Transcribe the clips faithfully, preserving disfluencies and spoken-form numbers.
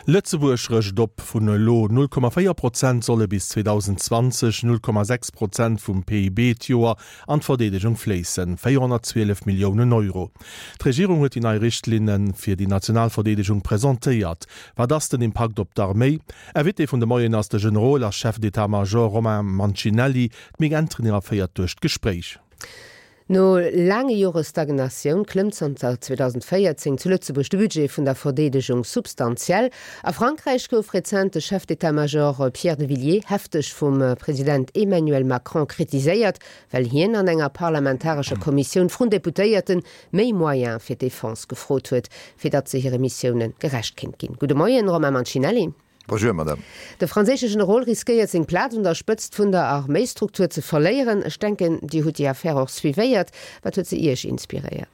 Lëtzebuerg rëscht op, Vun elo null Komma véier Prozent solle bis zweedausendzwanzeg null Komma sechs Prozent vum P I B d'Joer an d'Verdeedegung fléissen, véierhonnertzwielef Milliounen Euro. D'Regierung huet déi nei Richtlinne fir déi national Verdeedegung presentéiert. Wat ass den Impakt op d'Arméi? Invité vun de Moien ass de Generol a Chef d'état-major Romain Mancinelli. D'Mick Entringer féiert duerch d'Gespréich. No laange Jore Stagnatioun klëmmt zanter zweedausendvéierzéng zu Lëtzebuerg de Budget vun der Verdeedegung substantiell. A Frankräich gouf rezent de Chef d'état-major Pierre de Villiers hefteg vum President Emmanuel Macron kritiséiert, well hien an enger parlamentarescher Kommissioun vrun Deputéierte méi Moyene fir d'Defense gefrot huet, fir datt se hire Missioune gerecht kéint ginn. Gudde Moien, Romain Mancinelli. Bonjour, Madame. De franséische Generol riskéiert seng Plaz un der Spëtzt vun der Arméistruktur ze verléieren. Ech denken, Dir hutt déi Affär och suivéiert. Wat huet se Iech inspiréiert?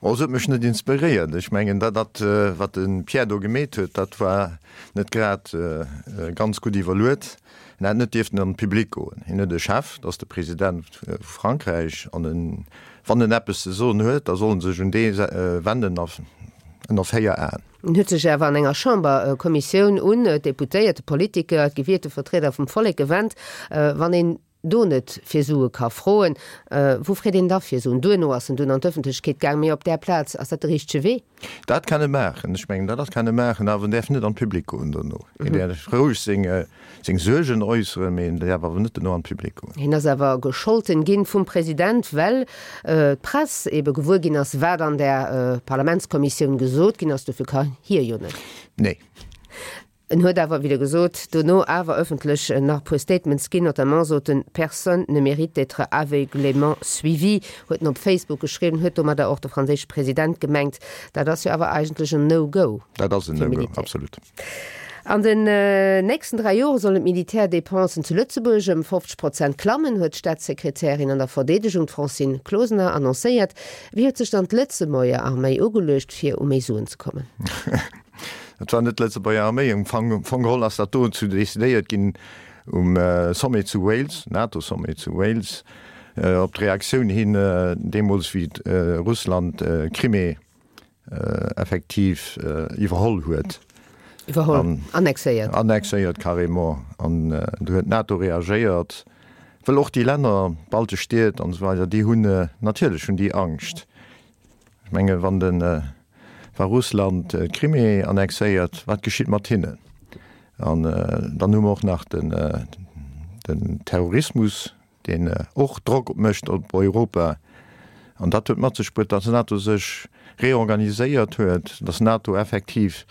Oh, se huet mech net inspiréiert. Ech mengen, dat, dat, wat de Pierre do gemeet huet, dat war net grad ganz gutt iwwerluet. En hätt net dierften an de Public goen. Hien huet e Chef, dat ass de President vu Frankräich, an en, wann en eppes ze soen huet, da soll en sech un dee wenden a ënner véier Aen. En huet sech awer an enger Chamberkommissioun un d'Deputéiert, d'Politiker, d'gewielte Vertrieder vum Vollek gewennt. Wann een do net fir Sue ka froen, wou freet een da fir Suen? Duerno ass en dunn an d'Ëffentlechkeet gaang, mee op där Plaz, ass dat de richtege Wee? Dat kann e maachen. Ech mengen, dat ass kann e maachen, awer en däerf net an d'Public goen dono. En däerf roueg seng seng Suergen äusseren, mee en däerf awer net dono an d'Public goen. Hien ass awer gescholten ginn vum President, well d'Press ebe gewuer ginn ass, wat an där Parlamentskommissioun gesot ginn ass. Dofir ka hie jo net. Nee. En huet awer, wéi Der gesot, dono awer ëffentlech nach e puer Statements ginn, notamment sot en, Personne ne mérite d'être aveuglément suivi, huet en op Facebook geschriwwen, huet domadder och de franséische President gemengt. Dat ass jo awer eigentlech en No-Go Dat ass en fir No-Go, Militär. Absolut. An den nächsten dräi Jore sollen d'Militärdepensen zu Lëtzebuerg ëm fofzeg Prozent klammen, huet d'Staatssekretärin an der Verdeedegung, d'Francine Closener, annoncéiert. Wéi huet sech dann d'Lëtzebuerger Arméi ugeluecht, fir u méi Suen ze kommen? Dat war net d'Lëtzebuerger Arméi. Am Fong geholl ass dat do zu decidéiert ginn um Sommet zu Wales, NATO-Sommet zu Wales, op d'Reaktioun hin deemools wéi Russland d'Crimée effektiv iwwerholl huet. Iwwerholl, annexéiert. Annexéiert, carrément. An do huet d'NATO reagéiert, well och déi Länner, d'baltesch Stied an esou weider, déi hunn, natierlech hunn déi Angscht. Ech menge wann de, wa Russland d'Crimée annexéiert, wat geschitt mat hinnen? An dann hu mer och nach den, den Terrorismus, deen och Drock mécht op Europa. An dat huet mat sech bruet, datt d'NATO sech reorganiséiert huet, datt d'NATO effektiv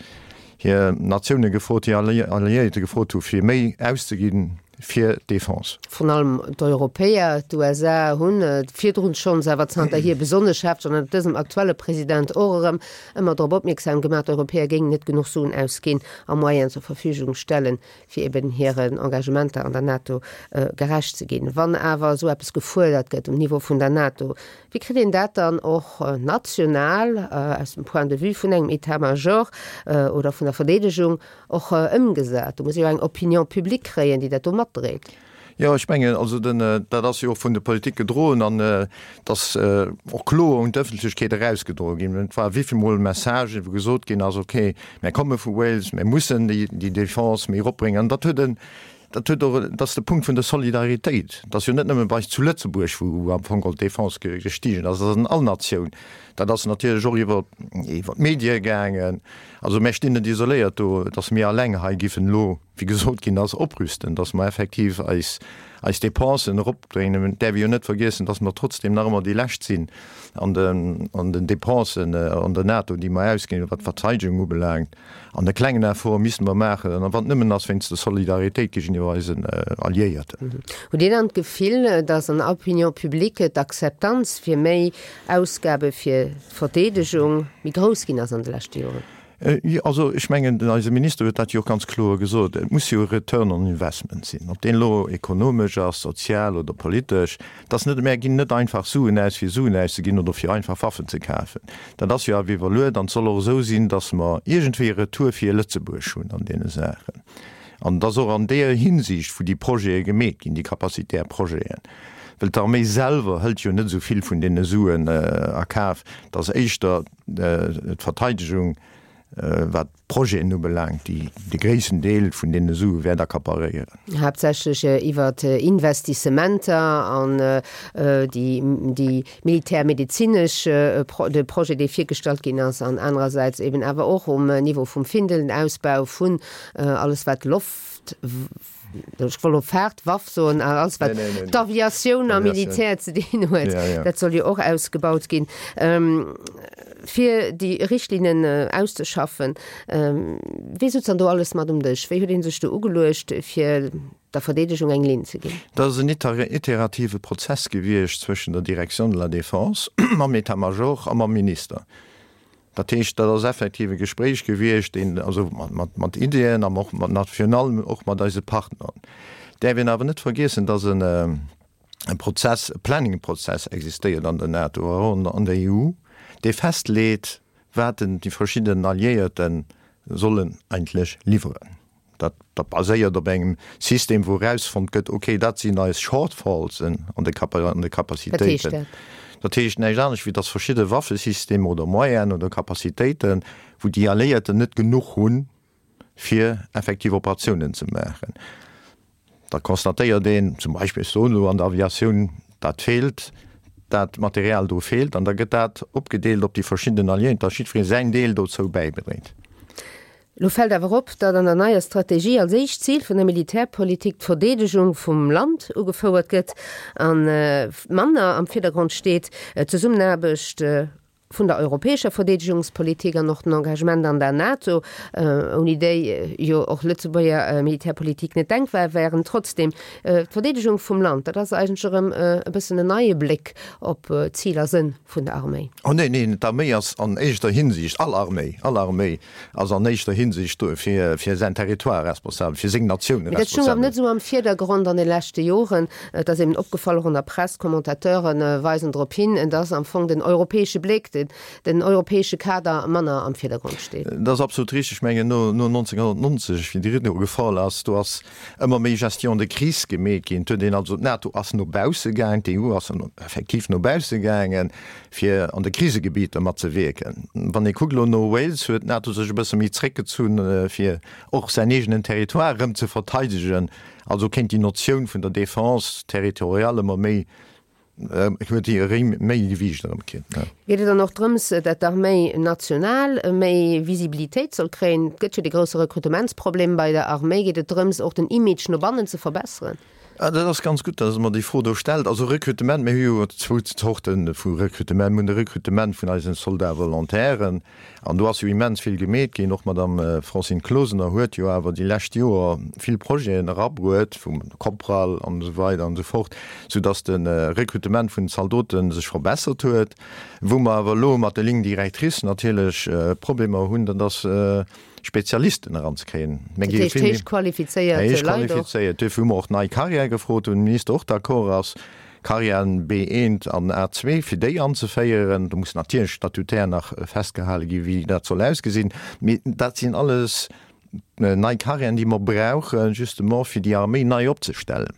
hir Natioune gefrot, hir Alliéierte gefrot hu fir méi auszegi fir d'Defense. Vrun allem d'Europäer, d'U S A hunn et virdrun schonns, awer zanterhier besonnesch hefteg an ënner dësem aktuelle President och erëm, ëmmer drop opmierksam gemaach, d'Europäer géingen net genuch Suen ausginn a Moyenen zur Verfügung stellen, fir eben hiren Engagementer an der NATO gerecht ze ginn. Wann awer esou eppes gefuerdert gëtt um Niveau vun der NATO, wéi kritt een dat dann och national aus dem Point de vue vun engem État-major oder vun der Verdeedegung och ëmgesat? Do muss ee jo eng Opinion publique kréien, déi dat do matdréit. Jo, ech mengen, also den, dat ass jo och vun der Politik gedroen an et ass och kloer un d'Ëffentlechkeet erausgedroe ginn. Et war wéi vill Mol Messagen, wou gesot ginn ass, okay, mär komme vu Wales, mär mussen déi, déi Defense méi eropbréngen. An dat huet en, dat huet och, dat ass de Punkt vun der Solidaritéit. Et ass jo net nëmme bei eis zu Lëtzebuerg, wou am Fong geholl d'Defense gestigen ass, dat ass an all Natioun. Dat ass natierlech och iwwer, iwwer d'Medie gaangen. Also mär stinn net isoléiert do, datt mir alleng hei giffen elo, wéi gesot ginn ass, oprüsten, datt mer effektiv eis, eis Dépensen eropdréinen. Et däerf ee jo net vergiessen, datt mer trotzdem nach ëmmer déi Lescht sinn an den, an den Dépensen an der NATO, déi mer ausginn, wat d'Verteidegung ubelaangt. An e klengen Effort misste mer maachen, a wann et nëmmen ass wéinst der Solidaritéit géigeniwwer eisen Alliéierten. Hutt Dir dann d'Gefill, datt an der Opinion publique d'Akzeptanz fir méi Ausgabe fir d'Verdeedegung méi grouss ginn ass an de leschte Joren? Jo, also ech mengen, den eise Minister huet dat jo och ganz kloer gesot, et muss jo e Return on investment sinn, ob deen elo ekonomesch ass, sozial oder politesch. Et ass net, mär ginn net einfach Suen aus, fir Suen auszeginn oder fir einfach Waffen ze kafen. Dat ass jo awer iwwerluet an et soll och esou sinn, datt mer iergendwéi e Retour fir Lëtzebuerg hunn an deene Saachen. An et ass och an deeër Hinsicht, wou déi Projete gemeet ginn, déi capacitaire Projeten, well d'Arméi selwer hëlt jo net esou vill vun deene Suen a Kaf, et ass éischter d'Verteidegung, wat d'Projeten ubelaangt, déi de gréissten Deel vun deene Sue wäert accaparéieren. Haaptsächlech iwwer Investissementer an déi déi militärmedezinesch, de Projet, dee virgestallt ginn ass, an anerersäits eben awer och um Niveau vum Findel, den Ausbau vun alles wat Loft, ech wollt elo Faartwaff soen, awer alles wat d'Aviatioun am Militär ze dinn huet, dat soll jo och ausgebaut ginn. Fir déi Richtlinnen auszeschaffen, wee sutz dann do alles mat um Dësch? Wéi huet ee sech do ugeluecht, fir der Verdeedegung eng Linn ze ginn? Dat ass en iterative Prozess gewiescht zwëschen der Direction de la Défense mam État-major a mam Minister. Dat heescht, dat ass effektiv e Gespréich gewiescht, deen also mat Ideeën an och mat, virun allem och mat eise Partneren. Däerf een awer net vergiessen, dass en e Prozess, e Planningprozess existéiert an der NATO an an der E U, dee festleet, wat déi verschidden Alliéierte sollen eigentlech liwweren. Dat dat baséiert op engem System, wou erausfonnt gëtt, okay, dat sinn eis Shortfalls an de an de Wat heescht Capacitéiten. dat? Dat heescht näischt anescht, wéi datt verschidde Waffesystemer oder Moyenen oder Capacitéiten, wou déi Alliéierten net genuch hunn, fir effektiv Operatiounen ze maachen. Da constatéiert een zum Beispill, ech soen elo, an der Aviatioun, dat feelt, dat Material do feelt, an da gëtt dat opgedeelt op déi verschidden Alliéierten, datt jiddweree säin Deel dozou bäibedréit. Lo fält awer op, datt an der neier Strategie als éischt Zil vun der Militärpolitik d'Verdeedegung vum Land ugefouert gëtt a manner am Virdergrond steet d'Zesummenaarbecht vun der europäescher Verdeedegungspolitik an och den Engagement an der NATO, ouni déi jo och Lëtzebuerger Militärpolitik net denkbar wären. Trotzdem, d'Verdeedegung vum Land, dat ass eigentlech erëm e bëssen en neie Bléck op Zil a Sënn vun der Arméi. Oh neen, neen, d'Arméi ass an éischter Hinsicht, all Arméi, all Arméi ass an éischter Hinsicht do fir, fir säin Territoire responsabel, fir seng Natioun Mee dat stoung awer responsabel. net esou am Virdergrond an de leschte Joren. Et ass eben opgefall, och an der Press, d'Commentateuren weisen drop hin, dass am Fong den europäesche Bléck, den, den europäesche Kader manner am Virdergrond steet. Dat ass absolut richteg. Ech mengen, no, no neunzehnhundertneunzeg, wéi de Rideau gefall ass, do ass ëmmer méi Gestion de crise gemeet ginn. Et huet een also, d'NATO ass no bausse gaang, d'E U ass effektiv no bausse gaangen, fir an de Krisegebieter matzewierken. Wann ee kuckt elo no Wales, huet d'NATO sech e bësse méi zréckgezunn, fir och säin eegenen Territoire erëm ze verteidegen. Also kéint déi Notioun vun der Défense territoriale ëmmer méi, huet déi erëm méi Gewiicht erëm kritt. Geet et dann och drëms, datt d'Arméi national méi Visibilitéit soll kréien? Et gëtt jo dee grousse Rekrutementsproblem bei der Arméi. Geet et drëms, och den Image no bannen ze verbesseren? Ah, dat ass ganz gutt, datt Der mer déi Fro do stellt. Also Rekrutement, mir hu jo zwou Zorte vu Rekrutement. Mir hunn de Rekrutement vun eisen Soldats-volontairen, an do ass jo immens vill gemeet ginn. Och d'Madame Francine Closener huet jo awer déi lescht Joer vill Projeten erabruet, vum Kopral an esou weider an esou fort, soudatt de Rekrutement vun den Zaldote sech verbessert huet. Wou mer awer elo mat de Lignes directrices natierlech Problemer hunn, dat ass, Spezialisten eranzekréien. Mir Dat gi heescht vill méi héich qualifizéiert héich Leit och? qualifizéiert. Duerfir hu mer och nei Carrièrë gefrot, wou de Minister och d'accord ass, Carrièren B eent an A zwee, fir déi anzeféieren. Do muss natierlech statutär nach festgehale gi wéi dat soll ausgesinn. Mee dat sinn alles nei Carrièren, déi mer brauchen, justement fir déi Arméi nei opzestellen.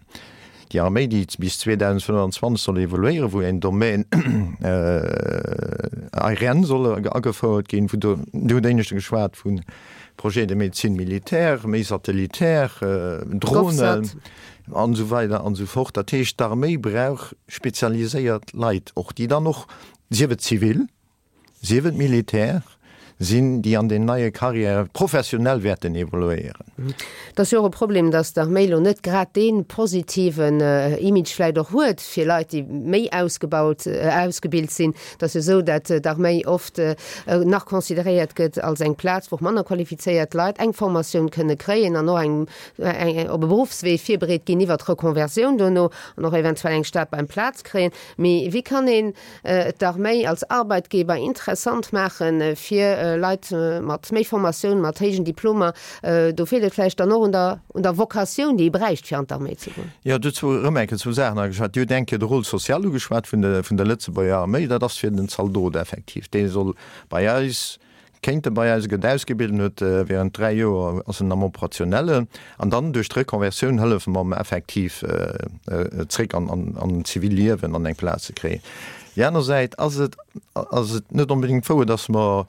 Déi Arméi, déi bis zweedausendfënnfanzwanzeg soll evoluéieren, wou en Domaine aérien soll agefouert ginn, wou do, Dir hutt éineschte geschwat vu Projet de médecine militaire, méi satellitär, Dronen GovSat. an esou weider an esou fort. Dat heescht, d'Arméi brauch spezialiséiert Leit och, déi dann och, sief et zivil, sief et militär, sinn, déi an den neie Carrièrë professionell wäerten evoluéieren. Et ass jo och e Problem, datt d'Arméi elo net grad dee positiven Image vläicht och huet fir Leit, déi méi ausgebaut, ausgebilt sinn. Et ass jo esou, datt d'Arméi oft nach consideréiert gëtt als eng Plaz, wou och manner qualifizéiert Leit eng Formatioun kënne kréien an och eng, eng op e Beruffswee virbereet ginn iwwert d'Reconversioun dono an och eventuell eng Stad beim Plaz kréien. Mee wéi kann een d'Arméi als Arbeitgeber interessant maachen fir Leit mat méi Formatioun, mat héijen Diplomer? Do feelt et vläicht dann och un der, un der Vocatioun, déi ee bräicht, fir an d'Arméi ze goen. Jo, dozou erëm eng Kéier zwou Saachen ageschwat. Dir hutt eng Kéier de Rôle social ugeschwat vun der, vun der Lëtzebuerger Arméi. Dat ass fir den Zaldot effektiv. Dee soll bei eis, kéint e bei eis, gëtt ausgebilt en huet während dräi Joer ass en am Operationellen an dann duerch d'Reconversioun hëllefe mer em effektiv zréck an, an, an d'zivil Liewen an eng Plaz ze kréien. Déi aner Säit ass et, ass et net onbedéngt wouer, dass mer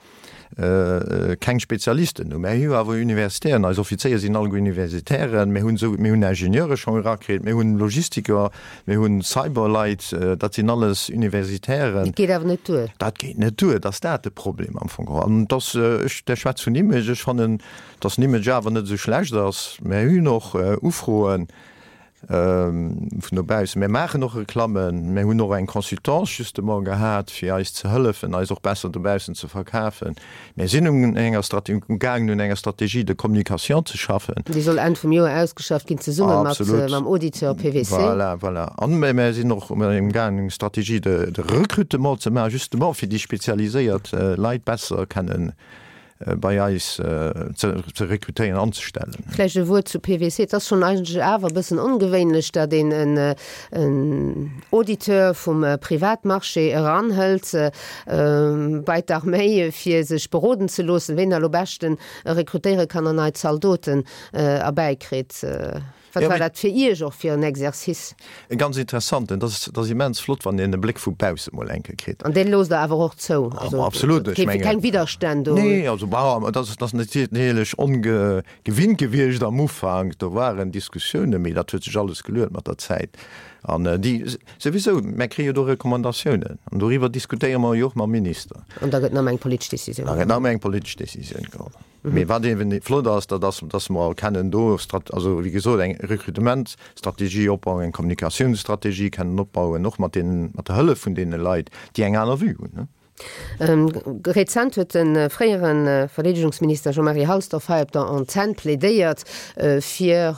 keng Spezialisten hunn. Mir hu jo awer Universitären, eis Offizéier sinn alleguer Universitären, mir hunn esou, mir hunn Ingenieure schonn erakritt, mir hunn Logistiker, mir hunn Cyberleit, dat sinn alles Universitären. Dat geet awer net duer. Dat geet net duer, et ass dat de Problem am Fong geholl. An et ass, ech, der schwätzt vun Image, ech fannen, dass den Image awer net esou schlecht ass. Mir hunn och Ufroen vun dobaussen. Mir maachen och Reklammen. Mir hunn och eng Consultance justement gehat, fir eis ze hëllefen, eis och besser dobaussen ze verkafen. Mir sinn un enger Strate-, umgaangen un enger Stratégie de communication ze schaffen. Déi soll Enn vum Joer ausgeschafft ginn, zesumme mat mam Auditeur P W C. Voilà, voilà. An mir sinn och umgaangen eng Stratégie de, de recrutement ze maachen, justement fir déi spezialiséiert Leit besser kennen bei eis ze rekrutéieren, anzestellen. Vläicht e Wuert zu P W C. Et ass schonn eigentlech awer e bëssen ongewéinlech, datt een en Auditeur vum Privatmarché eranhëlt bei d'Arméi, fir sech beroden ze loossen, wéi een elo beschten rekrutéiere kann an nei Zaldoten erbäikritt. Wat war dat fir Iech och fir en Exercice? E ganz interessanten. Dat ass, dat ass immens flott, wann een e Bléck vu bausse mol eng Kéier kritt. An deen loosst Der awer och zou? Also, absolut, ech mengen. Keng Widderstänn do? Nee, also bon, dat ass, dat ass natierlech ongewinnt gewiescht am Ufank. Do waren Diskussiounen, mee dat huet sech alles geluet mat der Zäit. An déi, souwisou, mär kréie jo do Recommandatiounen an doriwwer diskutéiere mer jo och mam Minister. An da gëtt nach eng politesch Decisioun geholl. Da gëtt nach eng politesch Decisioun geholl. Mee wat eeben flott ass, dat ass, dass mer kennen do, also wéi gesot, eng Rekrutementstrategie opbauen, eng Kommunikatiounsstrategie kennen opbauen, och mat deenen, mat der Hëllef vun deene Leit, déi eng aner Vue hunn. Rezent huet de fréiere Verdeedegungsminister Jean-Marie Halsdorf hei op der Antenn plädéiert fir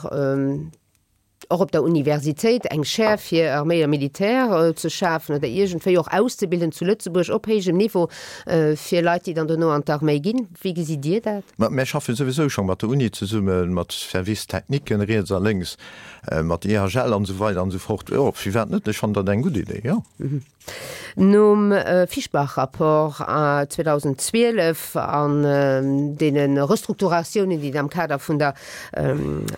och op der Universitéit eng Chaire fir Arméi a Militär ze schafen oder iergendwéi och auszebilden zu Lëtzebuerg op héijem Niveau fir Leit, déi dann dono an d'Arméi ginn. Wéi gesitt Dir dat? Ma mir schaffe souwisou scho mat der Uni zesummen, mat Services techniquen riets a lénks, mat I H L an esou weider an esou fort. Jo, firwat net? Ech fannen dat eng gutt Idee, jo. Nom Fischbach-Rapport zweedausendzwielef an deene Restrukturatiounen, déi am Kader vun der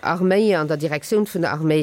Arméi an der Direktioun vun der Arméi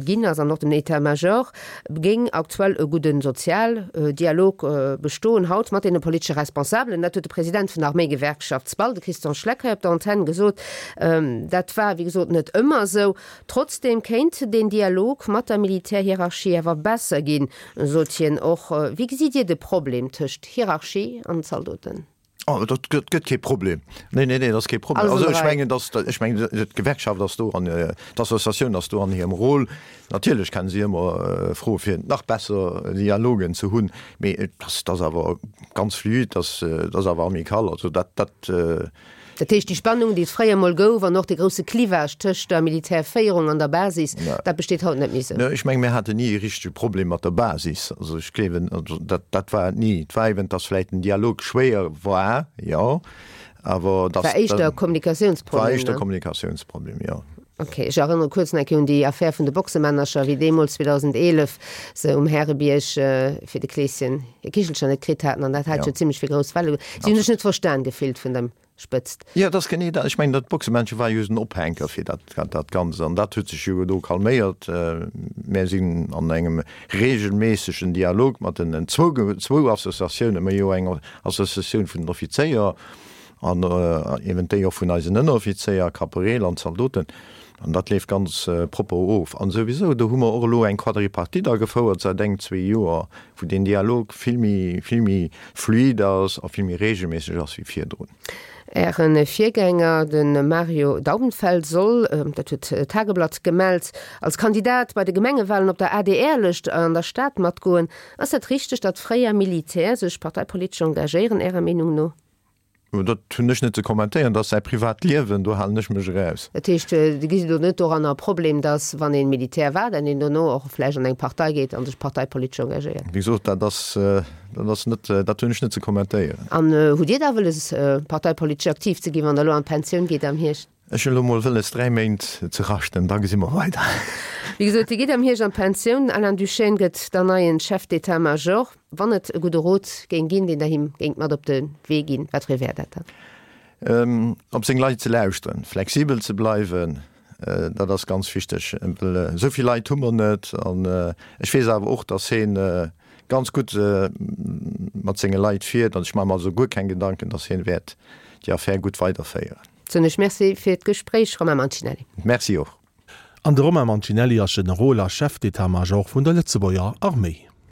ginn ass an och dem État-major, géing aktuell e gudde Sozialdialog bestoen haut mat deene politesche Responsabelen. Dat huet de President vun der Arméigewerkschaft SPAL, de Christian Schleck, hei op der Antenn gesot. Dat war, wéi gesot, net ëmmer esou. Trotzdeem kéint deen Dialog mat der Militärhierarchie awer besser ginn, sot hien och. Wéi gesitt Dir de Problem tëscht Hierarchie an Zaldoten? Oh, dat gëtt gëtt kee Problem. Nee, nee, nee, dat ass kee Problem. Alles Also an der ech Rei. mengen, dass, ech mengen, d'Gewerkschaft ass do an d'Associatioun ass do an hirem Rôle. Natierlech kennen si ëmmer froe fir nach besser Dialogen ze hunn, mee et ass, dat ass awer ganz fluide, dat ass, dat ass awer amical. Also dat, dat. Dat heescht, déi Spannung, déi et fréier mol gouf, an och de grousse Clivage tëscht der Militärféierung an der Basis, dat besteet haut net méi esou? Ech menge mir haten ni e richtege Problem mat der Basis. Also ech gleewen, also dat, dat war et ni. Et war eben, datt vläicht den Dialog schwéier war, jo, awer datt. War éischter e Kommunikatiounsproblem, War éischter ne? Kommunikatiounsproblem, jo. Ok, ech erënnere kuerz nach eng Kéier un déi Affär vun de Boxemännercher, wéi deemools zweedausendeelef se um Härebierg fir de Kleeschen hir Kichelcher net kritt haten an dat hat jo zimlech fir grouss Welle. Si hunn sech net verstan gefillt vun dem Spëtzt. Jo, dat ass genee dat. Ech mengen, dat Boxemännche war just en Ophänker fir dat, dat Ganzt. An dat huet sech jo do calméiert. Mär sinn an engem regelméissegen Dialog mat den zwou, zwou Associatiounen, mir hu jo eng Associatioun vun den Offizéier an eben déi och vun eisen Ënneroffizéier, Kaporeel an Zaldoten. An dat leeft ganz propper of. An souwisou, do hu mer och elo eng Quadripartite agefouert säit eng, zwee Joer, wou deen Dialog vill méi, vill méi fluide ass a vill méi regelméisseg ass wéi virdrun. Äre Virgänger, de Mario Daubenfeld, soll, dat huet d'Tageblatt gemellt, als Kandidat bei de Gemengewalen op der A D R-Lëscht an der Stad matgoen. Ass dat richteg, datt fréier Militär sech parteipolitesch engagéieren, Ärer Meenung no? Dat hunn ech net ze kommentéieren, dat ass säi privat Liewen, do halen ech mech eraus. Dat heescht, Dir gesitt do net doranner e Problem, datt wann ee Militär war, dann een dono och vläicht an eng Partei geet a sech parteipolitesch engagéiert? Wéi gesot, dat ass, dat ass net, dat hunn ech net ze kommentéieren. An hutt Dir da wëlles, parteipolitesch aktiv ze ginn, wann Der elo an d'Pensioun gitt am Hierscht? Ech hunn elo mol wëlles, dräi Méint ze raschten, da gesi mer weider. Wéi gesot, Dir gitt am Hierscht an d'Pensioun. Alain Duschène gëtt dann neien Chef d'état-major. Wann et e gudde Rot géing ginn, deen Der him géingt mat op de Wee ginn, wat fir ee wär dat dann? Op seng Leit ze lauschteren, flexibel ze bleiwen, dat ass ganz wichteg. Well esou vill Leit hu mer net. An ech weess awer och, datt hien ganz gutt mat senge Leit fiert an ech maache mer also guer keng Gedanken, datt hien wäert déi Affär gutt weiderféieren. Soen ech Merci fir d'Gespréich, Romain Mancinelli. Merci och. An de Romain Mancinelli ass Generol a Chef d'état-major vun der Lëtzebuerger Arméi.